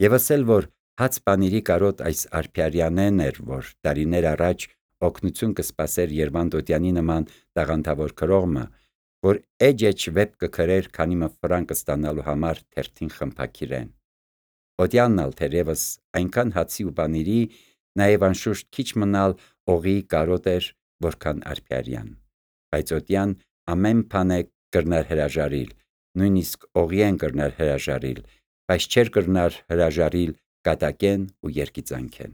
Եվ ասել, որ հաց բանիրի կարոտ այս Արփիարյանեն էր, որ տարիներ առաջ օգնություն կսպասեր Երվանդոտյանի նման տաղանդավոր քրողմը, որ էջ վեպ կքրեր, քանի մը ֆրանկ ստանալու համար թերթին խմփակիրեն։ Օդյանն ալ թերևս այնքան հացի ու բանիրի, նաև անշուշտ քիչ մնալ օղի կարոտ էր, որքան Արփիարյան, բայց օդյան ամեն բան կրնար հրաժարիլ, նույնիսկ օղիեն կրնար հրաժարիլ, բայց չէր կրնար հրաժարիլ կատակեն ու երգիծանքեն։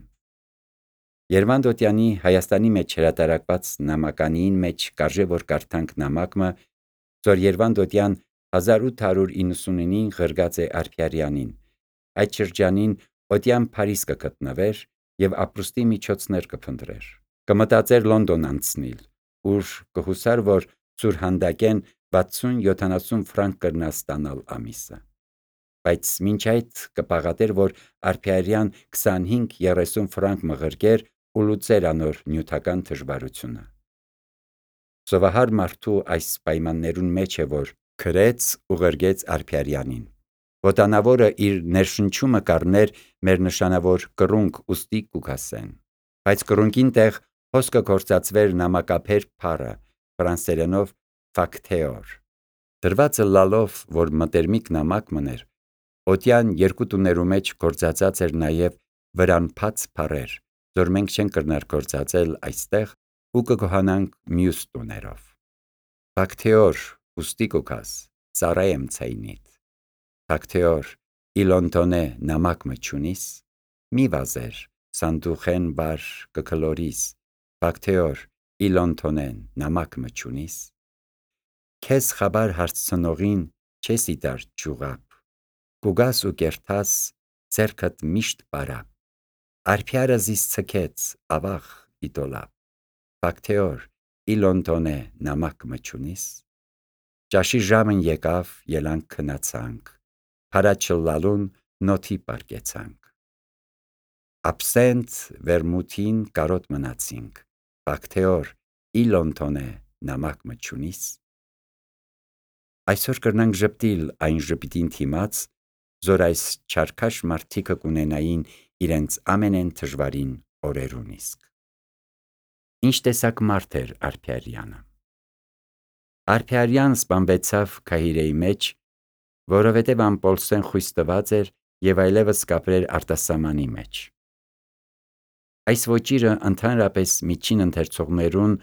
Երվանդոտյանի Հայաստանի մեջ հրատարակված նամականիին մեջ կարժե որ կարդանք նամակը, որ Երվանդոտյան 1899-ին ղրգած է Արփիարյանին։ Այդ շրջանին օդյան Փարիզ կգտնվեր եւ ապրուստի միջոցներ կփնտրեր։ Կմտածեր Լոնդոն անցնել, ուր կհուսար, որ սուրհանդակեն 60-70 ֆրանկ կրնա ստանալ ամիսը։ Բայց մինչ այդ կպաղատեր, որ Արփիարյան 25-30 ֆրանկ մղրկեր ու լուծեր անոր նյութական դժվարությունը։ Սովահար մարդու այս պայմաններուն մեջ է, որ քրեց ու ղրգեց Արփիարյանին։ Ոտանավորը իր ներշնչումը կառներ մեր նշանավոր կռունկ ուստի կուքասեն։ Բայց կռունկին տեղ հոսքը գործածվեր նամակափեր փառը, ֆրանսերենով facteur։ Դրվածը լալով, որ մտերմիկ նամակ մներ, օդյան երկու տուներու մեջ գործածած էր նաև վրան փած փառեր, որ մենք չենք կրնար գործածել այստեղ ու կգոհանանք մյուս տուներով։ Facteur ուստի կուքաս, ծառայեմ ցայնիդ։ Facteur իլոնտոնե նամակ մչունիս, մի վազեր, սանդուխեն բար կքլորիս, Facteur իլոնտոնեն նամակ մչունիս։ Քեզ խաբար հարցնողին չես իտար ճուղապ, կուգաս ու կերթաս ձերքդ միշտ բարապ, Արփիարը զիս ցկեց ավաղ իդոլապ, Facteur իլոնտոնե նամակ մչունիս։ Ճաշի ժամն եկավ, ելանք քնացանք, փարաչլալուն նոթի պարկեցանք։ Աբսենտ վերմութին կարոտ մնացինք, Facteur իլոնտոնե նամակ մչունիս։ Այսօր կրնանք ժպտիլ այն ժպիտին թիմաց, զոր այս չարքաշ մարդիկը կունենային իրենց ամենեն դժվարին օրերուն իսկ։ Ինչ տեսակ մարդ էր Արփիարյանը։ Արփիարյան սպանվեցավ Քահիրեի մեջ, որովհետև ամպոլսեն խույս տված էր եւ այլևս կապրեր արտասահմանի մեջ։ Այս ոճիրը ընդհանրապես միջին ընթերցողներուն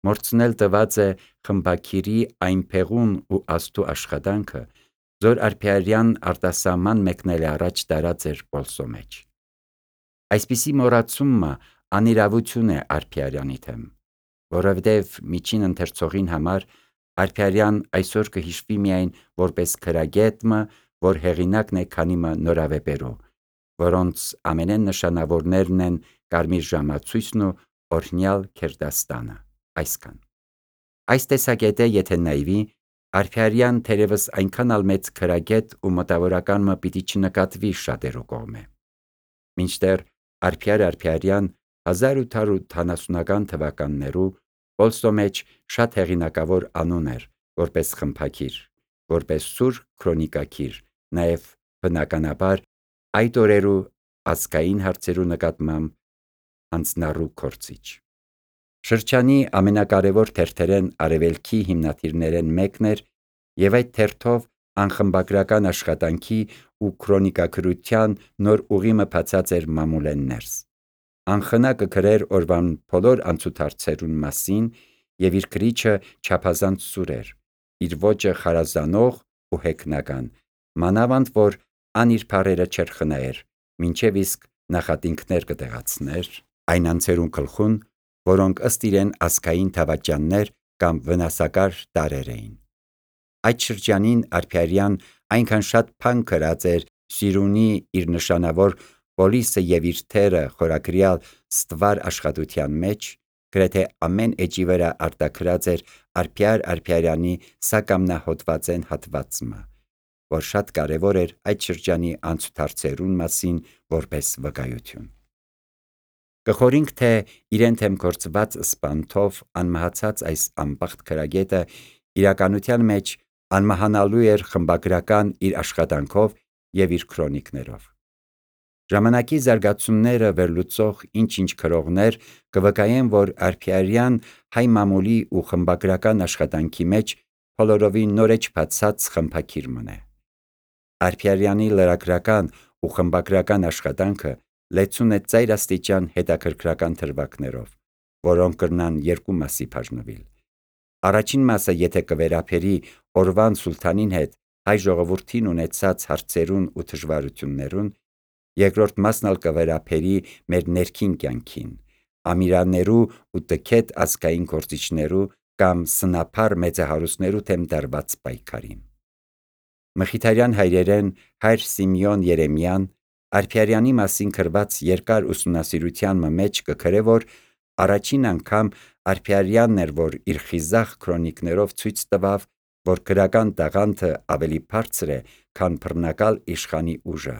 մորցնել տված է խմբակիրի այն փեղուն ու աստու աշխատանքը, որ Արփիարյան արտասահման մեկնել առաջ տարած էր Պոլսո մեջ։ Այսպիսի մոռացումը անիրավություն է Արփիարյանի թեմ, որովհետև միջին ընթերցողին համար Արփիարյան այսօր կհիշվի միայն որպես քրագետը, որ հեղինակն է քանի մը նորավեպերու, որոնց ամենեն նշանավորներն են Կարմիր ժամացույցն ու Օրհնյալ Քերդաստանը, այսքան։ Այս տեսակետը եթե նայվի, Արփիարյան թերևս այնքան ալ մեծ քրագետ ու մտավորական մը պիտի չնկատվի շատերու կողմէ։ Մինչդեռ Արփիարյան 1870-ական թվականներու Պոլսո մեջ շատ հեղինակավոր անուն էր, որպես խմբակիր, որպես սուր քրոնիկակիր, նաև բնականաբար այդ օրերու ազգային հարցերու նկատմամբ հանձնառու գործիչ։ Շրջանի ամենակարևոր թերթերեն Արևելքի հիմնադիրներեն մեկն էր եւ այդ թերթով անխմբագրական աշխատանքի ու քրոնիկագրության նոր ուղիմը բացած էր մամուլեն ներս։ Անխնա կգրեր օրվան բոլոր անցուդարձերուն մասին եւ իր գրիչը չափազանց սուր էր, իր ոճը խարազանող ու հեգնական, մանավանդ որ ան իր բառերը չէր խնայեր, մինչև իսկ նախատինքներ կտեղացներ այն անձերուն գլխուն, որոնք ըստ իրեն ազգային դավաճաններ կամ վնասակար տարրեր էին։ Այդ շրջանին Արփիարյան այնքան շատ բան գրած էր Սիրունի իր նշանավոր Պոլիսը եւ իր թերը խորագրյալ ստվար աշխատության մեջ, գրեթե ամեն էջի վրա արտագրած էր Արփիարյանի սակամնահոդվածեն հատվածը, որ շատ կարևոր էր այդ շրջանի անցուդարձերուն մասին որպես վկայություն։ Կխորինք, թե իրեն թեմ գործված սպանթով անմահացած այս անբախտ քրագետը իրականության մեջ անմահանալու էր խմբագրական իր աշխատանքով եւ իր քրոնիկներով։ Ժամանակի զարգացումները վերլուծող ինչ-ինչ քրողներ կվկայեն, որ Արփիարյան հայ մամուլի ու խմբագրական աշխատանքի մեջ բոլորովին նորեջ բացած խմբագիր մնե։ Արփիարյանի լրագրական ու խմբագրական աշխատանքը լեցուն է ծայրաստիճան հետաքրքրական թրվակներով, որոնք կրնան երկու մասի բաժնվել։ Առաջին մասը եթե կվերապերի օրվան սուլթանին հետ հայ ժողովրդին ունեցած հարցերուն ու դժվարություններուն, երկրորդ մասն ալ կվերապերի մեր ներքին կյանքին, ամիրաներու ու տքետ ազգային գործիչներու կամ սնափար մեծահարուստներու թեմ դարված պայքարին։ Մխիթարյան հայրերեն հայր Սիմեոն Երեմյան Արփիարյանի մասին գրված երկար ուսումնասիրության մեջ կգրե, որ առաջին անգամ Արփիարյանն էր, որ իր խիզախ քրոնիկներով ցույց տվավ, որ գրական տաղանդը ավելի բարձր է, քան բռնակալ իշխանի ուժը,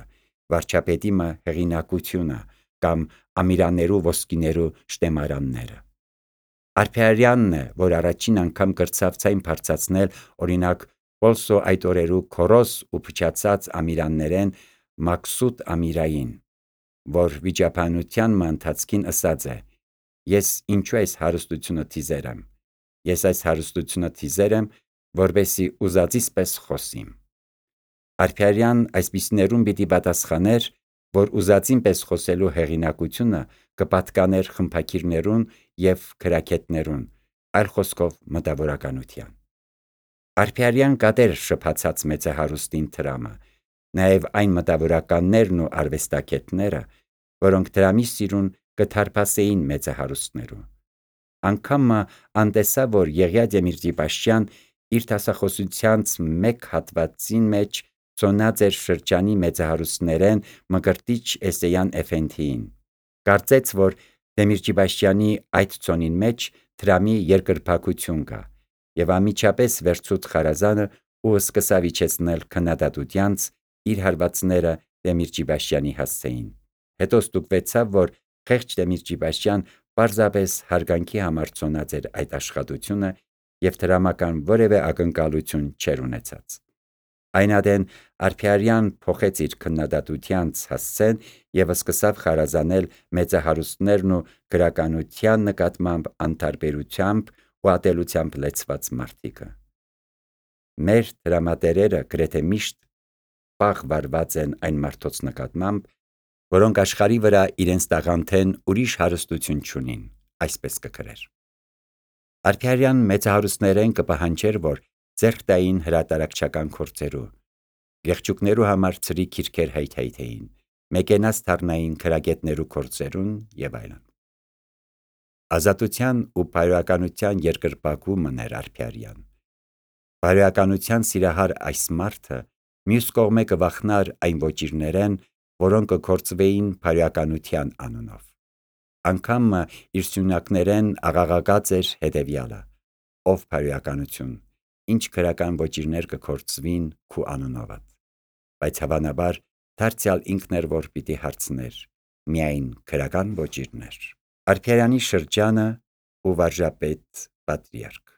վարչապետի հեղինակությունը կամ ամիրաներու ոսկիներու շտեմարանները։ Արփիարյանն է, որ առաջին անգամ կրծավ ցայն բարձրացնել օրինակ Պոլսո այդ օրերու քորոս ու փչացած ամիրաններեն Մաքսուտ ամիրային, որ վիճաբանության ընթացքին ըսած է. «Ես ինչու այս հարստությունը թիզերեմ, ես այս հարստությունը թիզերեմ, որբեսի ուզածիս պես խոսիմ»։ Արփիարյան այսպիսիներուն պիտի պատասխաներ, որ ուզածին պես խոսելու հեղինակությունը կպատկաներ խմբագիրներուն և գրագետներուն, այլ խոսքով մտավորականության։ Արփիարյան կատեր շփացած մեծահարուստին դրամը, նաև այն մտավորականներն ու արվեստագետները, որոնք դրամի սիրուն կթարփասեին մեծահարուստներու։ Անգամ անտեսա, որ Եղիա Դեմիրճի-Պաշտյան իր դասախոսությանց մեկ հատվածին մեջ ծոնած էր շրջանի մեծահարուստներեն Մկրտիչ Էսեյան Էֆենդիին։ Կարծեց, որ Դեմիրճի-Պաշտյանի այդ ծոնին մեջ դրամի երկրպագություն կա, և անմիջապես վերցուց խարազանը ու սկսավ իջեցնել քննադատությանց իր հարվածները Դեմիրճի-Պաշտյանի հասցեին։ Հետո ստուգվեցավ, որ խեղճ Դեմիրճի-Պաշտյան պարզապես հարգանքի համար ծոնած էր այդ աշխատությունը և դրամական որևէ ակնկալություն չէր ունեցած։ Այն ադեն Արփիարյան փոխեց իր քննադատությանց հասցեն և սկսավ խարազանել մեծահարուստներն ու գրականության նկատմամբ անտարբերությամբ ու ատելությամբ լեցված մարդիկը։ Մեր դրամատերերը գրեթե միշտ պաղ վարված են այն մարդոց նկատմամբ, որոնք աշխարհի վրա իրենց տաղանդեն ուրիշ հարստություն չունին, այսպես կգրեր։ Արփիարյան մեծահարուստներեն կպահանջեր, որ ձեռք տային հրատարակչական գործերու, եղջյուկներու համար ծրի գիրքեր հայթայթեին, մեկենաց թառնային գրագետներու գործերուն և այլն։ Ազատության ու բարոյականության երկրպագու էր Արփիարյան։ Բարոյականության սիրահար այս մարդը մյուս կողմէ կվախնար այն ոճիրներեն, որոնք կգործվեին բարոյականության անունով։ Անգամ իր սյունակներեն աղաղակած էր հետևյալը. «Ով բարոյականություն, ինչ գրական ոճիրներ կգործվին քու անունովդ»։ Բայց հավանաբար դարձյալ ինքն էր, որ պիտի հարցներ. միայն գրական ոճիրներ։ Արփիարյանի շրջանը ու վարժապետ պատրիարք։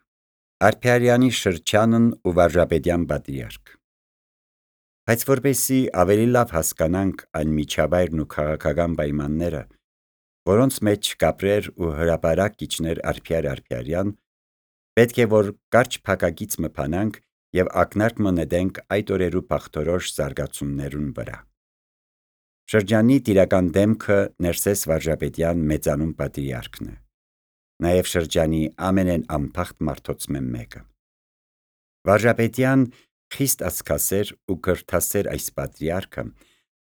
Արփիարյանի շրջանն ու վարժապետյան պատրիարք։ Բայց որպեսզի ավելի լավ հասկանանք այն միջավայրն ու քաղաքական պայմանները, որոնց մեջ կապրեր ու հրապարակ կիջներ Արփիար Արփիարյան, պետք է որ կարճ փակագիծ մփանանք և ակնարկ նետենք այդ օրերու բաղթորոշ զարգացումներուն վրա։ Շրջանի տիրական դեմքը Ներսես Վարժապետյան մեծանուն պատրիարքն է, նաև շրջանի ամենեն անբախտ մարդոցմե մեկը։ Վարժապետյան խիստ աստգասեր ու կրթասեր այս պատրիարքը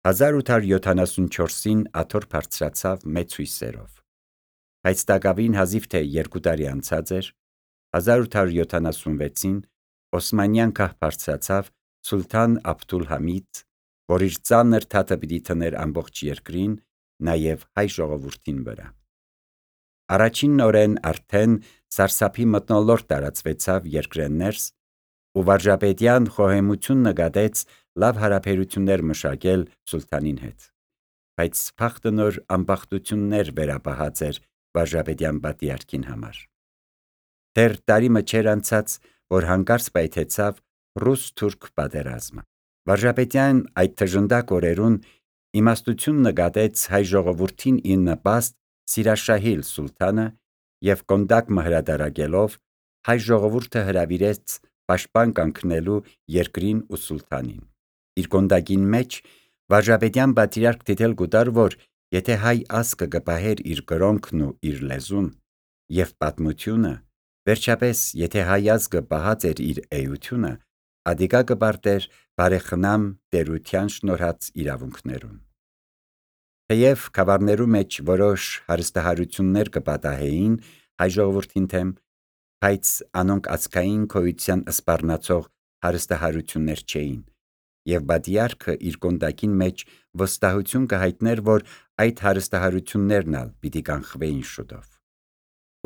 1874-ին աթոռ բարձրացավ մեծ հույսերով, բայց տակավին հազիվ թե 2 տարի անցած էր, 1876-ին Օսմանյան քահ բարձրացավ Սուլթան Աբդուլհամիդ, որ իր ծանր թաթը պիտի դներ ամբողջ երկրին, նաև հայ ժողովրդին վրա։ Առաջին օրեն արդեն սարսափի մթնոլորտ տարածվեցավ երկրեն ներս, ու Վարժապետյան խոհեմություն նկատեց լավ հարաբերություններ մշակել սուլթանին հետ, բայց բախտը նոր անբախտություններ վերապահած էր Վարժապետյան պատրիարքին համար։ Դեռ տարի մը չէր անցած, որ հանկարծ պայթեցավ ռուս-թուրք պատերազմը։ Վարժապետյան այդ թժնդակ օրերուն իմաստություն նկատեց հայ ժողովրդին ի նպաստ Սիրաշահիլ սուլթանը և կոնդակ հրադարակելով հայ ժողովուրդը հրավիրեց պաշտպան կանգնելու երկրին ու սուլթանին։ Իր կոնդակին մեջ Վարժապետյան պատրիարք դիտել գուտար, որ եթե հայ ազգը կպահեր իր կրոնքն ու իր լեզուն և պատմությունը, վերջապես եթե հայ ազգը պահած էր իր էությունը, ադիկա կպարտեր բարեխնամ տերության շնորհած իրավունքներուն։ Թեև գավառներու մեջ որոշ հարստահարություններ կպատահեին հայ ժողովրդին դեմ, բայց անոնք ազգային գոյության սպառնացող հարստահարություններ չէին, և պատրիարքը իր կոնդակին մեջ վստահություն կհայտներ, որ այդ հարստահարություններն ալ պիտի կանխվեին շուտով։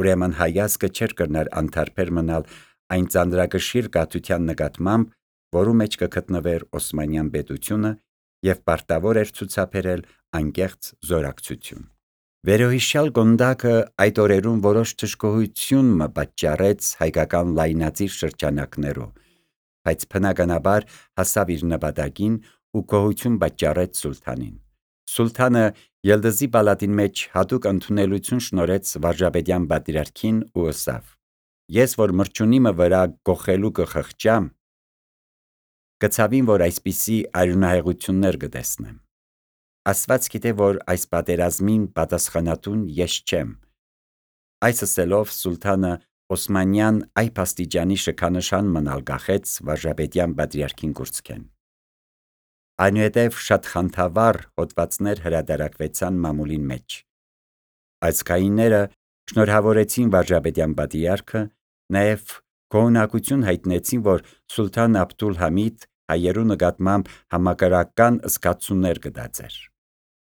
Ուրեմն հայ ազգը չէր կրնար անթարբեր մնալ այն ծանրակշիռ կաթության նկատմամբ, որու մեջ կգտնվեր Օսմանյան պետությունը, և պարտավոր էր ցուցաբերել անկեղծ զորակցություն։ Վերոհիշյալ կոնդակը այդ օրերուն որոշ դժգոհություն մը պատճառեց հայկական լայնածիր շրջանակներու, բայց բնականաբար հասավ իր նպատակին ու գոհություն պատճառեց սուլթանին։ Սուլթանը Ելդզի պալատին մեջ հատուկ ընդունելություն շնորհեց Վարժապետյան պատրիարքին ու ըսավ. «Ես որ մրջունիմը վրա գոխելու կխղճամ, կցավին, որ այսպիսի արյունահեղություններ կտեսնեմ։ Աստված գիտե, որ այս պատերազմին պատասխանատուն ես չեմ»։ Այս ասելով սուլթանը Օսմանյան այբ աստիճանի շքանշան մնալ կախեց Վարժապետյան պատրիարքին կուրծքեն։ Այնուհետև շատ խանդավառ հոդվածներ հրադարակվեցան մամուլին մեջ։ Ազգայինները շնորհավորեցին Վարժապետյան պատրիարքը, նաև գոհունակություն հայտնեցին, որ սուլթան Աբդուլ-Համիդ հայերու նկատմամբ համակրական զգացումներ կտածեր,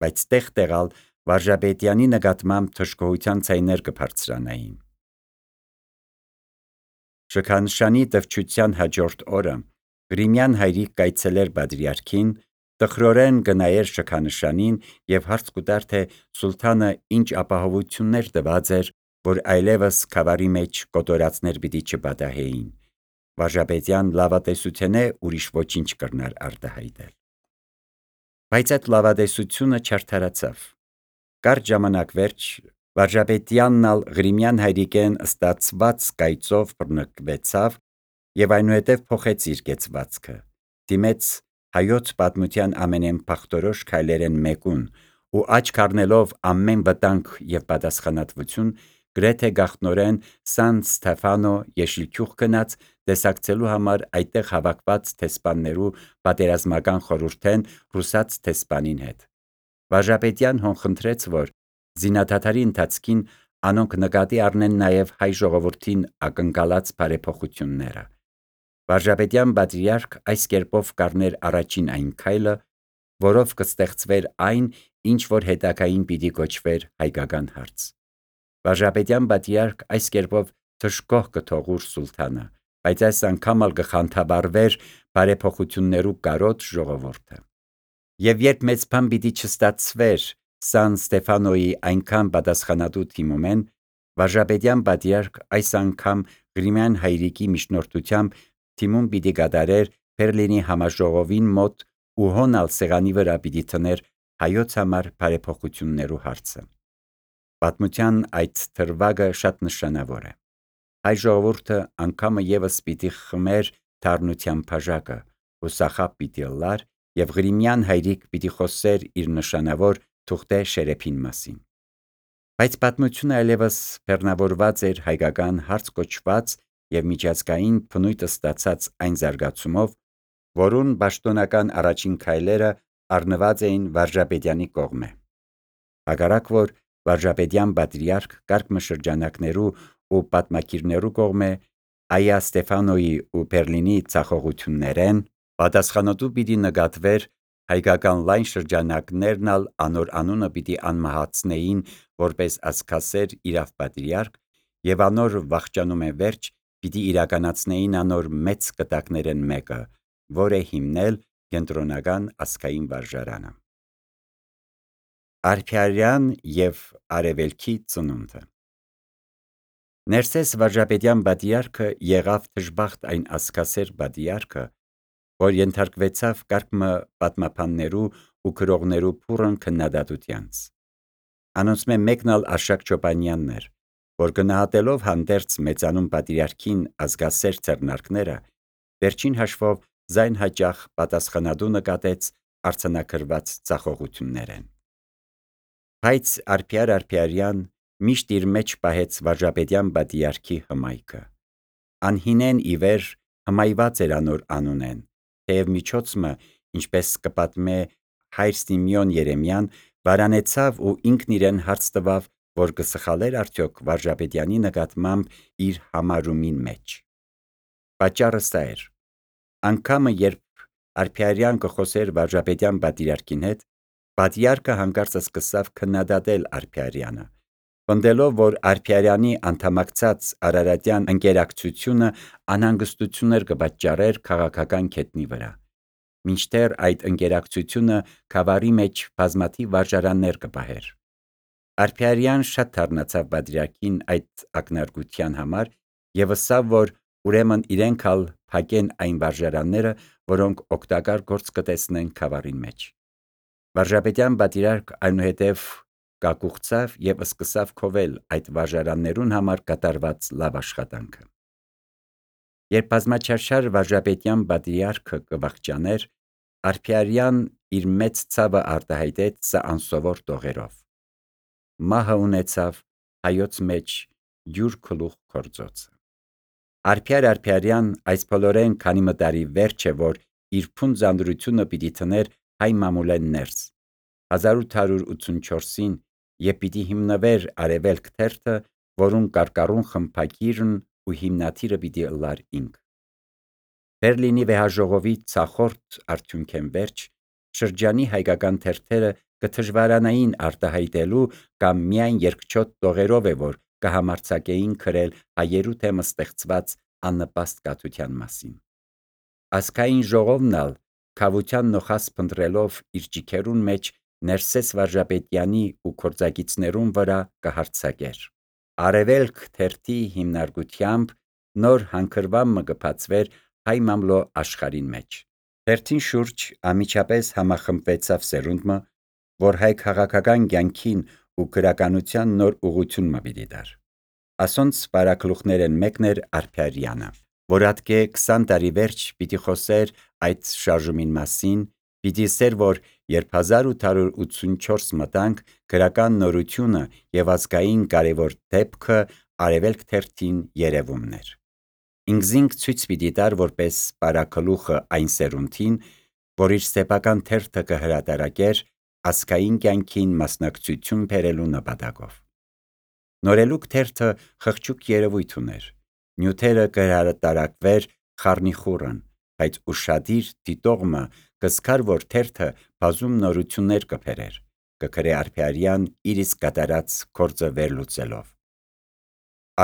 բայց տեղ-տեղալ Վարժապետյանի նկատմամբ դժգոհության ձայներ կբարձրանային։ Շքանշանի տվչության հաջորդ օրը Ղրիմյան հայրիկ կայցելեր պատրիարքին, տխրորեն կնայեր շքանշանին և հարց կուտար, թե սուլթանը ինչ ապահովություններ տված էր, որ այլևս գավառի մեջ կոտորածներ պիտի չպատահեին։ Վարժապետյան լավատեսութենէ ուրիշ ոչինչ կրնար արտահայտել։ Բայց այդ լավատեսությունը չարդարացավ։ Կարճ ժամանակ վերջ Վարժապետյանն ալ Ղրիմյան հայրիկեն ստացված կայծով բռնկվեցավ և այնուհետև փոխեց իր կեցվածքը, դիմեց հայոց պատմության ամենեն փախտորոշ քայլերեն մեկուն ու աչք առնելով ամեն վտանգ և պատասխանատվություն, գրեթե գաղտնորեն Սան Ստեֆանո Եշիլչուղ գնաց տեսակցելու համար այդտեղ հավաքված դեսպաններու պատերազմական խորհուրդեն ռուսաց դեսպանին հետ։ Վարժապետյան հոն խնդրեց, որ զինադադարի ընթացքին անոնք նկատի առնեն նաև հայ ժողովրդին ակնկալած բարեփոխությունները։ Վարժապետյան պատրիարք այս կերպով կառներ առաջին այն քայլը, որով կստեղծվեր այն, ինչ որ հետագային պիտի կոչվեր հայկական հարց։ Վարժապետյան պատրիարք այս կերպով դժգոհ կթողուր սուլթանը, բայց այս անգամ ալ կխանդավառվեր բարեփոխություններու կարոտ ժողովուրդը։ Եվ երբ մեծ բան պիտի չստացվեր Սան Ստեֆանոյի այնքան պատասխանատու թիմումեն, Վարժապետյան պատրիարք այս անգամ Ղրիմյան հայրիկի միջնորդությամբ թիմում պիտի կատարեր Բերլինի համաժողովին մոտ ու հոն ալ սեղանի վրա պիտի դներ հայոց համար բարեփոխություններու հարցը։ Պատմության այդ դրվագը շատ նշանավոր է։ Հայ ժողովուրդը անգամը ևս պիտի խմեր թարնության բաժակը, հուսախաբ պիտի լար և Ղրիմյան հայրիկ պիտի խոսեր իր նշանավոր թուղթե շերեփին մասին։ Բայց պատմությունը այլևս բեռնավորված էր հայկական հարց կոչված և միջազգային բնույթ ստացած այն զարգացումով, որուն պաշտոնական առաջին քայլերը առնված էին Վարժապետյանի կողմէ։ Հակառակ որ Վարժապետյան պատրիարք կարգմշրջանակներու ու պատմագիրներու կողմէ Այա Ստեֆանոյի ու Բերլինի ցախողություններեն պատասխանատու պիտի նկատվեր, հայկական լայն շրջանակներն ալ անոր անունը պիտի անմահացնեին որպես ազգասեր իրավ-պատրիարք և անոր վախճանումէ վերջ պիտի իրականացնեին անոր մեծ կտակներէն մեկը, որ է հիմնել Կենտրոնական ազգային վարժարանը։ Արփիարյան և Արևելքի ծնունդը։ Ներսես Վարժապետյան պատրիարքը եղավ դժբախտ այն ազգասեր պատրիարքը, որ ենթարկվեցավ կարգմը պատմաբաններու ու գրողներու փուրն քննադատությանց։ Անոնցմէ մեկն ալ Արշակ Չոպանյանն էր, որ գնահատելով հանդերձ մեծանուն պատրիարքին ազգասեր ձեռնարկները, վերջին հաշվով զայն հաճախ պատասխանատու նկատեց արձանագրված ծախողություններեն։ Բայց Արփիար միշտ իր մեջ պահեց Վարժապետյան պատրիարքի հմայքը։ Անհինեն ի վեր հմայված էր անոր անունեն, թեև միջոցմը, ինչպես կպատմե հայր Սիմեոն Երեմյան, վարանեցավ ու ինքն իրեն հարց տվավ, որ կսխալեր արդյոք Վարժապետյանի նկատմամբ իր համարումին մեջ։ Պատճառը սա էր. անգամը երբ Արփիարյան կխոսեր Վարժապետյան պատրիարքին հետ, պատրիարքը հանկարծ սկսավ քննադատել Արփիարյանը, պնդելով, որ Արփիարյանի անդամակցած արարատյան ընկերակցությունը անհանգստություններ կպատճառեր քաղաքական գետնի վրա, մինչդեռ այդ ընկերակցությունը գավառի մեջ բազմաթիվ վարժարաններ կպահեր։ Արփիարյան շատ թարնացավ պատրիարքին այդ ակնարկության համար եւ ասավ, որ ուրեմն իրենք ալ փակեն այն վարժարանները, որոնք օգտակար գործ կտեսնեն գավառին մեջ։ Վարժապետյան պատրիարք այնուհետև կակուղցավ եւ սկսավ քովել այդ վարժարաններուն համար կատարված լավ աշխատանքը։ Երբ բազմաչարչար Վարժապետյան պատրիարքը կվախճաներ, Արփիարյան իր մեծ ցավը արտահայտեց սա անսովոր տողերով։ Մահը ունեցավ հայոց մեջ յուր գլուխ կորձոցը։ Արփիարյան այս բոլորեն քանի մտարի վերջ է, որ իր փունջ զանդրությունը պիտի թներ հայ մամուլեն ներս 1884-ին եւ պիտի հիմնվեր Արևելք թերթը, որուն կարկառուն խմբագիրն ու հիմնադիրը պիտի ըլլար ինք։ Բերլինի վեհաժողովի ցախորդ արդյունքեն վերջ շրջանի հայկական թերթերը կդժվարանային արտահայտելու կամ միայն երկչոտ տողերով է, որ կհամարձակեին քրել հայերու թեմ ստեղծված աննպաստ կաթության մասին։ Ազգային ժողովն ալ քավության նոխազ փնտրելով իր ջիքերուն մեջ Ներսես Վարժապետյանի ու կորձագիցներուն վրա կհարձակեր։ Արևելք թերթի հիմնարկությամբ նոր հանգրվան մը կբացվեր հայ մամլո աշխարհին մեջ։ Թերթին շուրջ ամիջապես համախմբվեցավ սերունդը, որ հայ քաղաքական կյանքին ու գրականության նոր ուղղություն մը պիտի տար։ Ասոնց բարակլուխներեն մեկն էր Արփիարյանը, որ ատկե 20 տարի վերջ պիտի խոսեր այդ շարժումին մասին, պիտի ասեր, որ երբ 1884 մտանք գրական նորությունը եւ ազգային կարևոր դեպքը Արևելք թերթին երևումն էր։ Ինքզինք ցույց պիտի տար որպես բարակլուխը այն սերունդին, որ իր սեփական թերթը կհրատարակեր ազգային կյանքին մասնակցություն բերելու նպատակով։ Նորելուկ թերթը խղճուկ երևույթ ուներ։ Նյութերը կհրատարակվեր խառնիխուռն, բայց ուշադիր դիտողը կզգար, որ թերթը բազում նորություններ կբերեր, կգրե Արփիարյան իր իսկ կատարած գործը վերլուծելով։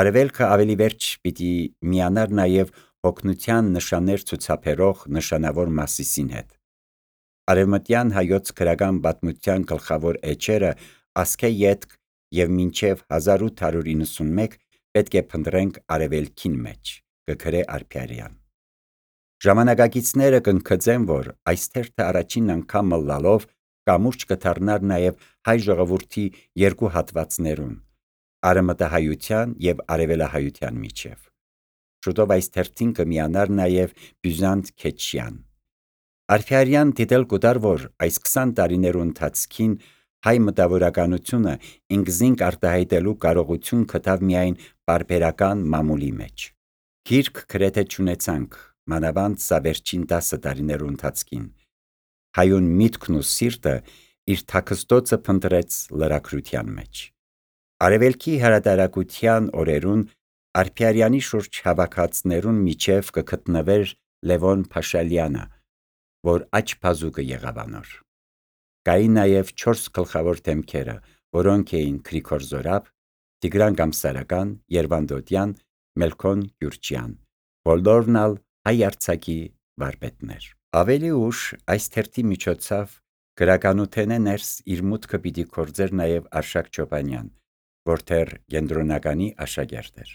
Արևելքը ավելի վերջ պիտի միանար նաև հոգնության նշաններ ցուցաբերող նշանավոր Մասիսին հետ։ Արևմտյան հայոց գրական պատմության գլխավոր էջերը «Ասկե ետք» եւ «Մինչեւ 1891» պետք է փնտրենք Արևելքին մեջ, կգրե Արփիարյան։ Ժամանակակիցները կընկծեն, որ այս թերթը առաջին անգամ լալով կամուրջ կդառնար նաև հայ ժողովրդի երկու հատվածներուն՝ արևմտահայության եւ արևելահայության միջև։ Շուտով այս թերթին կմիանար նաև Բյուզանտ Քեչյան։ Արփիարյան դիտել կուտար, որ այս 20 տարիներու ընթացքին հայ մտավորականությունը ինքզինք արտահայտելու կարողություն գտավ միայն պարբերական մամուլի մեջ։ Գիրք գրեթե չունեցանք, մանավանդ սա վերջին 10 տարիներու ընթացքին։ Հայուն միտքն ու սիրտը իր թաքստոցը փնտրեց լրագրության մեջ։ Արևելքի հրատարակության օրերուն Արփիարյանի շուրջ հավաքածներուն միջև կգտնվեր Լևոն Փաշալյանը, որ աչփազուկը եղավ անոր։ Կային նաև 4 գլխավոր դեմքերը, որոնք էին Գրիգոր Զորաբ, Տիգրան Գամսարական, Երվանդ Օդյան, Մելքոն Գյուրջյան, բոլորն ալ հայ արձակի վարպետներ։ Ավելի ուշ այս թերթի միջոցով գրականութենե ներս իր մուտքը պիտի գործեր նաև Արշակ Չոպանյան, որ դեռ կենտրոնականի աշակերտ էր։